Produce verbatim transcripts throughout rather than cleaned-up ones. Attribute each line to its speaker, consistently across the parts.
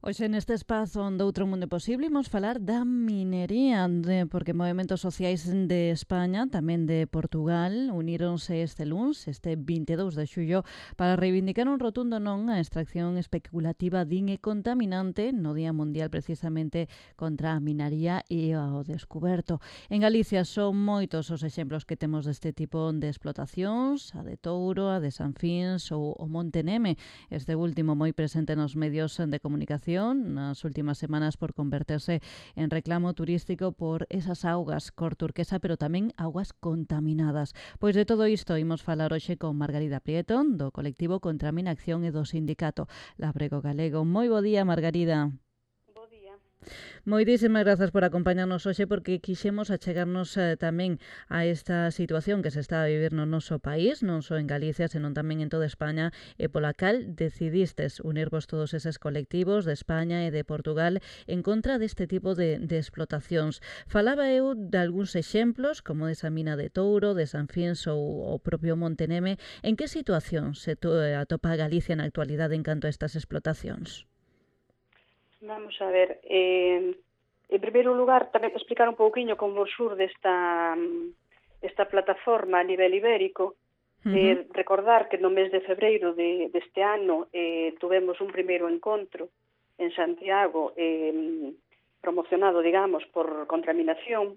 Speaker 1: Hoxe neste espazo de Outro Mundo Posible imos falar da minería, de, porque movementos sociais de España, tamén de Portugal, uníronse este luns, este vinte e dous de xullo, para reivindicar un rotundo non a extracción especulativa din e contaminante no Día Mundial precisamente contra a minería e ao descuberto. En Galicia son moitos os exemplos que temos deste tipo de explotacións, a de Touro, a de Sanfins ou o Monte Neme, este último moi presente nos medios de comunicación nas últimas semanas por converterse en reclamo turístico por esas augas cor turquesa, pero tamén augas contaminadas. Pois de todo isto imos falar hoxe con Margarida Prieto, do colectivo Contra a Minacción e do sindicato Labrego Galego. Moi bo día, Margarida.
Speaker 2: Bo día.
Speaker 1: Moitísimas grazas por acompañarnos hoxe, porque quixemos achegarnos eh, tamén a esta situación que se está a vivir no noso país, non só en Galicia, senón tamén en toda España, e pola cal decidistes unirvos todos eses colectivos de España e de Portugal en contra deste tipo de, de explotacións. Falaba eu de algúns exemplos, como esa mina de Touro, de Sanfins ou o propio Monte Neme. En que situación se atopa Galicia na actualidade en canto a estas explotacións?
Speaker 2: Vamos a ver, eh, en primeiro lugar, tamén explicar un pouquiño como xurde esta, esta plataforma a nivel ibérico. Uh-huh. eh, recordar que no mes de febreiro de, deste ano eh, tuvemos un primeiro encontro en Santiago, eh, promocionado, digamos, por Contaminación,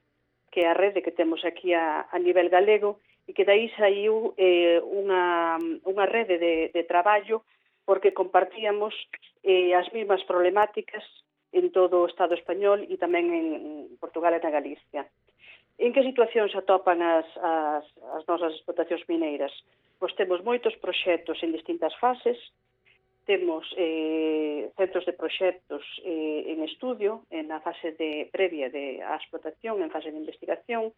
Speaker 2: que é a rede que temos aquí a, a nivel galego, e que daí saiu eh, unha, unha rede de, de traballo porque compartíamos eh, as mesmas problemáticas en todo o Estado español e tamén en Portugal e na Galicia. En que situación se atopan as, as, as nosas explotacións mineiras? Pois temos moitos proxectos en distintas fases, temos eh, centros de proxectos eh, en estudio, en a fase de previa de a explotación, en fase de investigación,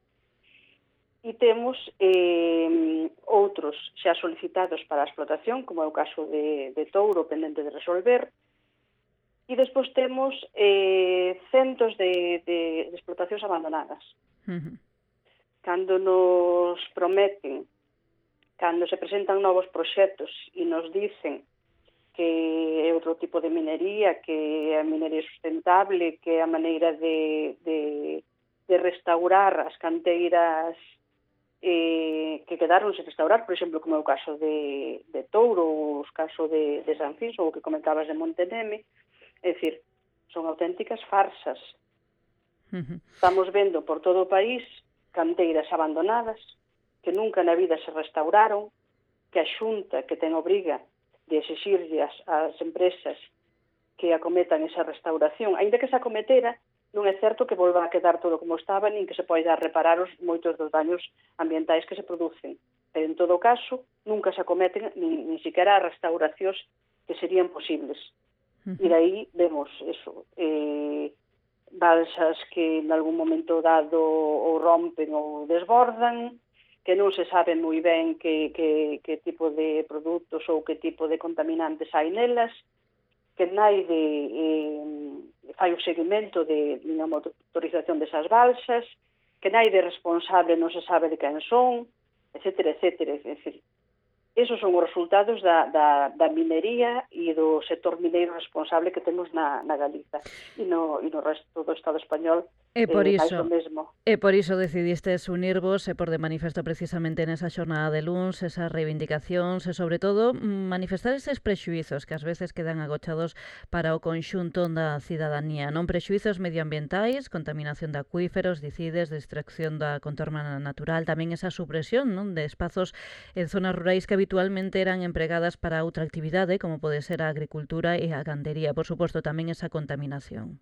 Speaker 2: e temos eh, outros xa solicitados para a explotación, como é o caso de, de Touro, pendente de resolver, e despois temos eh, centos de, de, de explotacións abandonadas. Uh-huh. Cando nos prometen, cando se presentan novos proxectos e nos dicen que é outro tipo de minería, que é a minería sustentable, que é a maneira de, de, de restaurar as canteiras Eh, que quedaron sen restaurar, por exemplo, como é o caso de, de Touro, ou o caso de, de Sanfins, ou o que comentabas de Monte Neme. É dicir, son auténticas farsas. Uh-huh. Estamos vendo por todo o país canteiras abandonadas, que nunca na vida se restauraron, que a Xunta, que ten obriga de exixirlle as, as empresas que acometan esa restauración, aínda que se acometera, non é certo que volva a quedar todo como estaba, nin que se poida reparar os moitos dos daños ambientais que se producen. Pero, en todo caso, nunca se acometen nin, nin siquiera as restauracións que serían posibles. Uh-huh. E daí vemos eso, eh, balsas que en algún momento dado ou rompen ou desbordan, que non se sabe moi ben que, que, que tipo de produtos ou que tipo de contaminantes hai nelas, que naide eh, fai o seguimento de unha motorización desas balsas, que naide responsable non se sabe de quen son, etcétera, etcétera. É dicir, esos son os resultados da, da, da minería e do sector mineiro responsable que temos na, na Galiza e no, e no resto do Estado español.
Speaker 1: E por
Speaker 2: eh,
Speaker 1: iso,
Speaker 2: mesmo.
Speaker 1: e por iso decidistes unirvos e por de manifesto precisamente nesa xornada de luns, esas reivindicacións e, sobre todo, manifestar eses prexuizos que ás veces quedan agochados para o conxunto da cidadanía, non? Prexuizos medioambientais, contaminación de acuíferos, dicides, distracción da contorna natural, tamén esa supresión, non, de espazos en zonas rurais que habitualmente eran empregadas para outra actividade, como pode ser a agricultura e a gandería. Por suposto, tamén esa contaminación.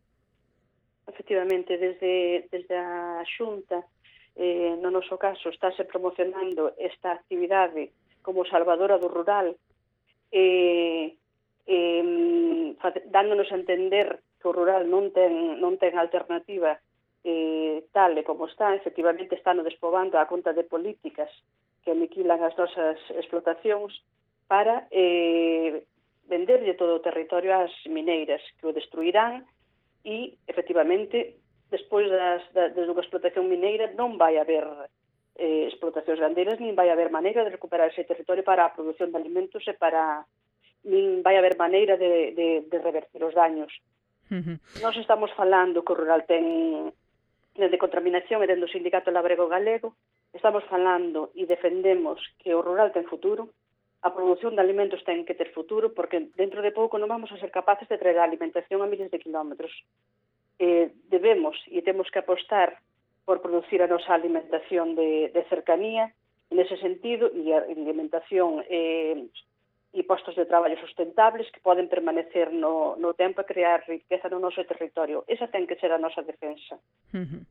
Speaker 2: Efectivamente, desde, desde a Xunta, eh, no noso caso, estáse promocionando esta actividade como salvadora do rural, eh, eh, dándonos a entender que o rural non ten, non ten alternativa eh, tal e como está. Efectivamente, está no despobando a conta de políticas que aniquilan as nosas explotacións para eh, venderlle todo o territorio ás mineiras, que o destruirán. E, efectivamente, despois das, da, de unha explotación mineira non vai haber eh, explotacións gandeiras, nin vai haber maneira de recuperar ese territorio para a produción de alimentos e para nin vai haber maneira de, de, de revertir os daños.
Speaker 1: Uh-huh.
Speaker 2: Nós estamos falando que o rural ten de contaminación e dentro do Sindicato Labrego Galego, estamos falando e defendemos que o rural ten futuro, a produción de alimentos ten que ter futuro, porque dentro de pouco non vamos a ser capaces de traer a alimentación a miles de kilómetros. Eh, debemos e temos que apostar por producir a nosa alimentación de, de cercanía, nese sentido, e a alimentación eh, e postos de traballo sustentables que poden permanecer no, no tempo e crear riqueza no noso territorio. Esa ten que ser a nosa defensa.
Speaker 1: Uh-huh.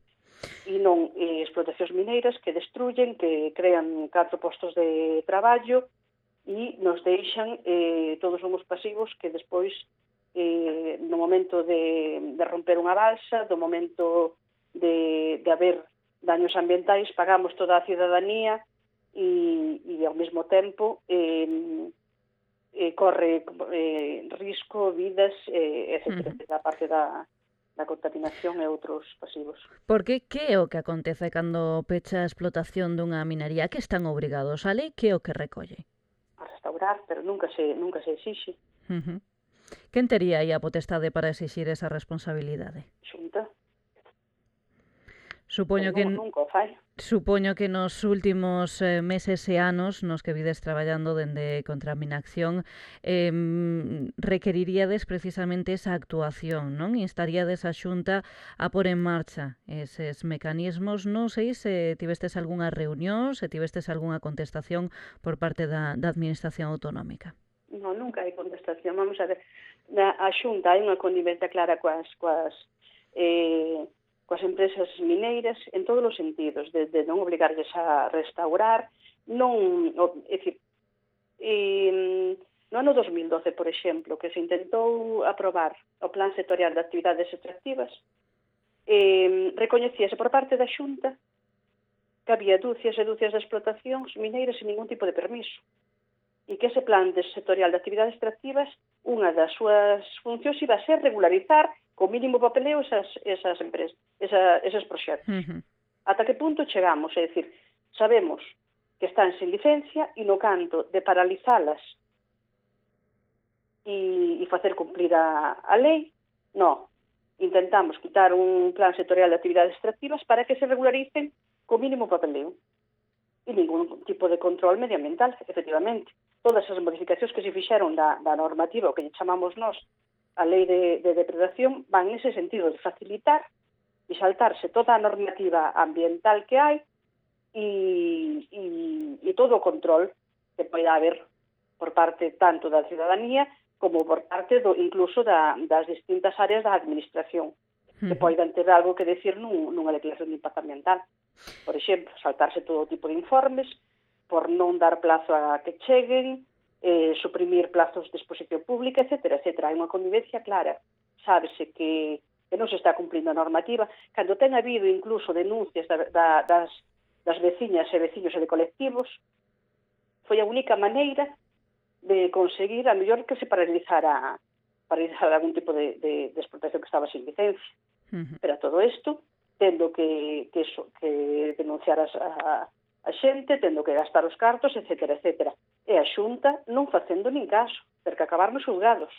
Speaker 2: E non eh, explotacións mineiras que destruyen, que crean catro postos de traballo e nos deixan, eh, todos somos pasivos que despois, eh, no momento de, de romper unha balsa, do momento de, de haber daños ambientais, pagamos toda a cidadanía e, e ao mesmo tempo eh, eh, corre eh, risco, vidas, eh, etcétera, uh-huh. a parte da, da contaminación e outros pasivos.
Speaker 1: Porque que é o que acontece cando pecha a explotación dunha minería? Que están obrigados? A lei que é o que recolle?
Speaker 2: A restaurar, pero nunca se, nunca se exixe.
Speaker 1: Uh-huh. Quen tería aí a potestade para exixir esa responsabilidade?
Speaker 2: Xunta.
Speaker 1: Supoño que
Speaker 2: nunca o fai.
Speaker 1: Supoño que nos últimos eh, meses e anos nos que vides traballando dende Contaminación eh, requeriríades precisamente esa actuación, non? Instaríades a Xunta a pôr en marcha eses mecanismos. Non sei se tivestes algunha reunión, se tivestes algunha contestación por parte da, da Administración Autonómica.
Speaker 2: Non, nunca hai contestación. Vamos a ver, na, a Xunta hai unha connivencia clara coas, coas eh, coas empresas mineiras en todos os sentidos, desde non obligarles a restaurar, non, é dicir, e, no ano dos mil doce, por exemplo, que se intentou aprobar o Plan Sectorial de Actividades Extractivas, eh, recoñecíase por parte da Xunta que había dúcias e dúcias de explotacións mineiras sin ningún tipo de permiso, e que ese Plan Sectorial de Actividades Extractivas, unha das súas funcións iba a ser regularizar co mínimo papeleo esas, esas empresas, esa, esos proxectos.
Speaker 1: Uh-huh.
Speaker 2: Ata que punto chegamos? É dicir, sabemos que están sin licencia e no canto de paralizalas e, e facer cumplir a, a lei, no. Intentamos quitar un plan sectorial de actividades extractivas para que se regularicen co mínimo papeleo e ningún tipo de control medioambiental, efectivamente. Todas as modificacións que se fixeron da, da normativa, o que chamamos nós a lei de, de depredación, van nese sentido de facilitar e saltarse toda a normativa ambiental que hai e, e, e todo o control que poida haber por parte tanto da ciudadanía como por parte do, incluso da, das distintas áreas da administración, que poidan ter algo que decir nun, nunha declaración de impacto ambiental. Por exemplo, saltarse todo tipo de informes por non dar plazo a que cheguen, eh, suprimir plazos de exposición pública, etcétera, etcétera. Hai unha convivencia clara. Sábese que, que non se está cumplindo a normativa. Cando ten habido incluso denuncias da, da, das, das veciñas e veciños e de colectivos, foi a única maneira de conseguir a mellor que se paralizara, paralizara algún tipo de, de, de explotación que estaba sin licencia. Uh-huh. Pero a todo isto, tendo que, que, so, que denunciar as, a, a xente, tendo que gastar os cartos, etcétera, etcétera. E a Xunta non facendo nin caso, ter que acabar nos xulgados.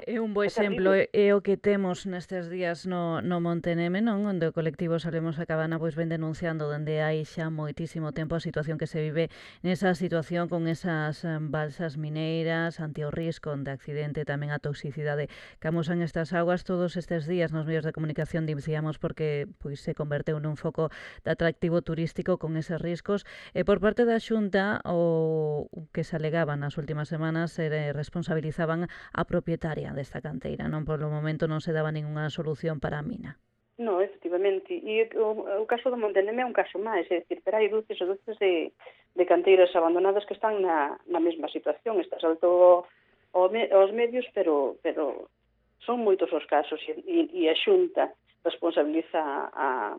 Speaker 1: É un bo exemplo, é o que temos nestes días no, no Monteneme, non? Onde o colectivo Salvemos a Cabana pois ven denunciando dende hai xa moitísimo tempo a situación que se vive nesa situación con esas balsas mineiras, ante o risco de accidente, tamén a toxicidade que amosan estas aguas. Todos estes días nos medios de comunicación dicíamos porque pois se converteu nun foco de atractivo turístico con eses riscos. E por parte da Xunta, o que se alegaba nas últimas semanas, se responsabilizaban a propietaria desta canteira, non? Polo momento non se daba ningunha solución para a mina.
Speaker 2: Non, efectivamente. E o, o caso do Monteneme é un caso máis, é dicir, pero hai dúcias e dúcias de, de canteiras abandonadas que están na, na mesma situación. Está salto aos medios, pero, pero son moitos os casos e, e a Xunta responsabiliza a,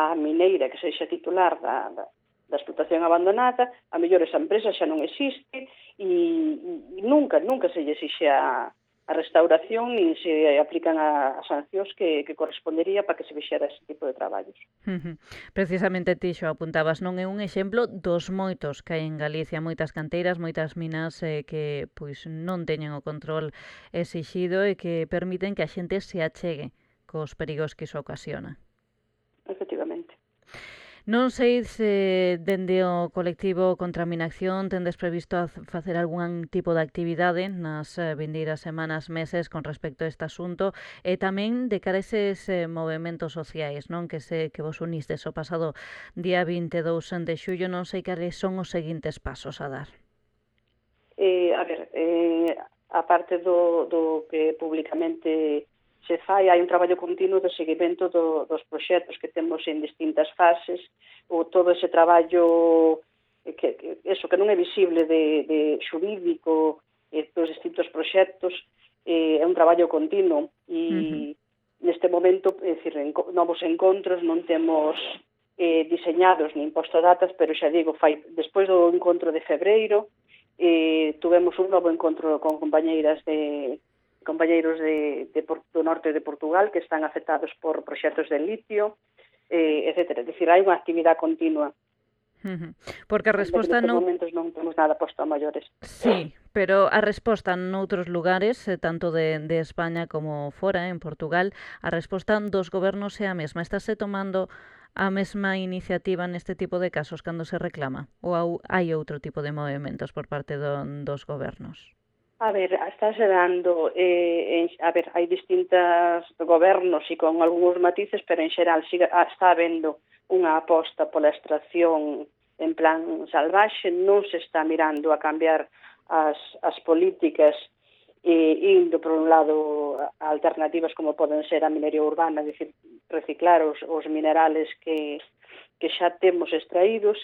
Speaker 2: a mineira que sexa titular da, da, da explotación abandonada. A mellor esa empresa xa non existe e, e nunca, nunca se lle exixe a a restauración nin se aplican as sancións que, que correspondería para que se fixera ese tipo de traballos.
Speaker 1: Uh-huh. Precisamente ti xo apuntabas, non é un exemplo dos moitos que hai en Galicia, moitas canteiras, moitas minas eh, que pois non teñen o control exixido e que permiten que a xente se achegue cos perigos que iso ocasiona.
Speaker 2: Efectivamente.
Speaker 1: Non sei se dende o colectivo Contra a Minacción tendes previsto facer algún tipo de actividade nas vindeiras semanas, meses con respecto a este asunto e tamén de cara a eses eh, movementos sociais, non, que se que vos unistes o pasado día vinte e dous de xullo, non sei cales son os seguintes pasos a dar.
Speaker 2: Eh, a ver, eh, a parte do, do que públicamente se fai, hai un traballo continuo de seguimento do, dos proxectos que temos en distintas fases, ou todo ese traballo que, que eso que non é visible de, de xurídico eh, dos distintos proxectos, eh, é un traballo continuo e uh-huh. neste momento, é dicir, en, novos encontros non temos eh, diseñados nin posto datas, pero xa digo, fai despois do encontro de febreiro eh, tuvemos un novo encontro con compañeiras de compañeiros de, de, do norte de Portugal que están afectados por proxectos de litio, eh, etcétera. É dicir, hai unha actividade continua.
Speaker 1: Uh-huh. Porque a resposta
Speaker 2: non...
Speaker 1: non...
Speaker 2: momentos non temos nada posto a maiores.
Speaker 1: Sí, pero a resposta noutros lugares, eh, tanto de, de España como fora, en Portugal, a resposta dos gobernos é a mesma. Estáse tomando a mesma iniciativa neste tipo de casos cando se reclama? Ou hai outro tipo de movimentos por parte do, dos gobernos?
Speaker 2: A ver, estáse dando, eh, en, a ver, hai distintos gobernos e con algúns matices, pero en xeral siga, está habendo unha aposta pola extracción en plan salvaxe, non se está mirando a cambiar as, as políticas e indo por un lado a alternativas como poden ser a minería urbana, é dicir, reciclar os, os minerales que, que xa temos extraídos,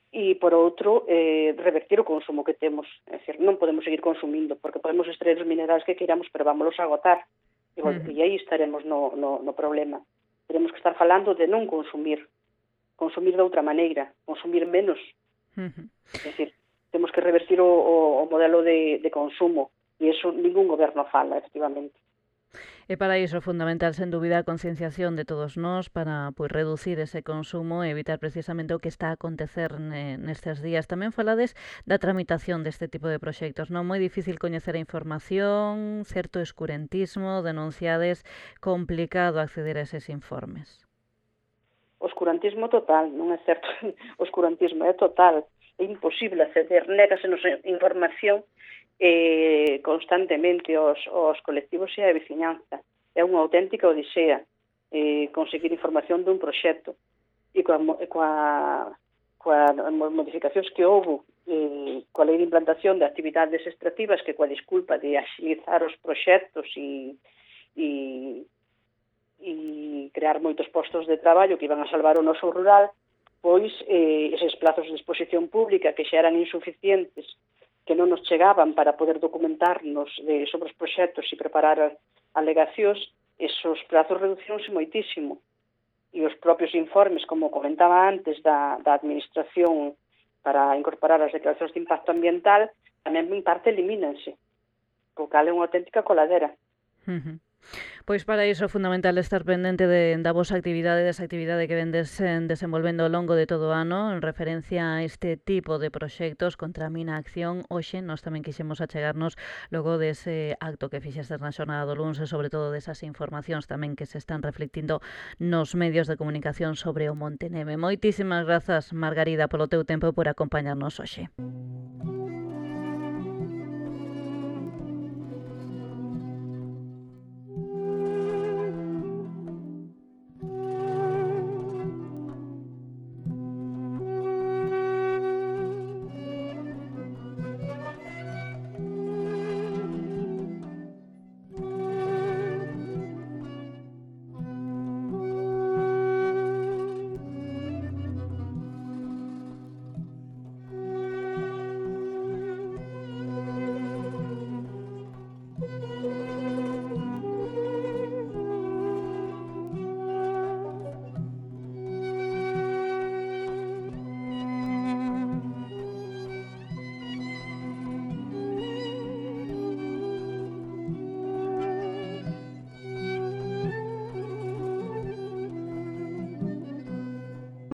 Speaker 2: e, por outro, eh, revertir o consumo que temos. É dicir, non podemos seguir consumindo, porque podemos extraer os minerais que queiramos, pero vámonos a agotar. E, bueno, uh-huh. e aí estaremos no, no, no problema. Teremos que estar falando de non consumir, consumir de outra maneira, consumir menos. Uh-huh. É dicir, temos que revertir o, o, o modelo de, de consumo, e iso ningún goberno fala, efectivamente.
Speaker 1: E para iso é fundamental, sen dúbida, a concienciación de todos nós para pois, reducir ese consumo e evitar precisamente o que está a acontecer nestes días. Tamén falades da tramitación deste tipo de proxectos, non? Moi difícil coñecer a información, certo escurentismo, denunciades, complicado acceder a eses informes.
Speaker 2: Oscurantismo total, non é certo. Oscurantismo é total. É imposible acceder, négasenos información eh, constantemente aos, aos colectivos e a veciñanza. É unha auténtica odisea eh, conseguir información dun proxecto. E coa, coa, coa modificacións que houve eh, coa lei de implantación de actividades extractivas que coa disculpa de axilizar os proxectos e, e, e crear moitos postos de traballo que iban a salvar o noso rural, pois eh, eses plazos de exposición pública que xa eran insuficientes, que non nos chegaban para poder documentarnos de, sobre os proxectos e preparar alegacións, esos plazos reduciónse moitísimo. E os propios informes, como comentaba antes, da, da Administración para incorporar as declaracións de impacto ambiental, tamén en parte elimínanse, o cal é unha auténtica coladera.
Speaker 1: Uh-huh. Pois para iso é fundamental estar pendente de, da vosa actividade, desa actividade que vendes eh, desenvolvendo ao longo de todo o ano en referencia a este tipo de proxectos contra a mina acción. Hoxe nós tamén quixemos achegarnos logo dese acto que fixestes na xornada do luns e sobre todo desas informacións tamén que se están reflectindo nos medios de comunicación sobre o Monte Neve. Moitísimas grazas, Margarida, polo teu tempo por acompañarnos hoxe.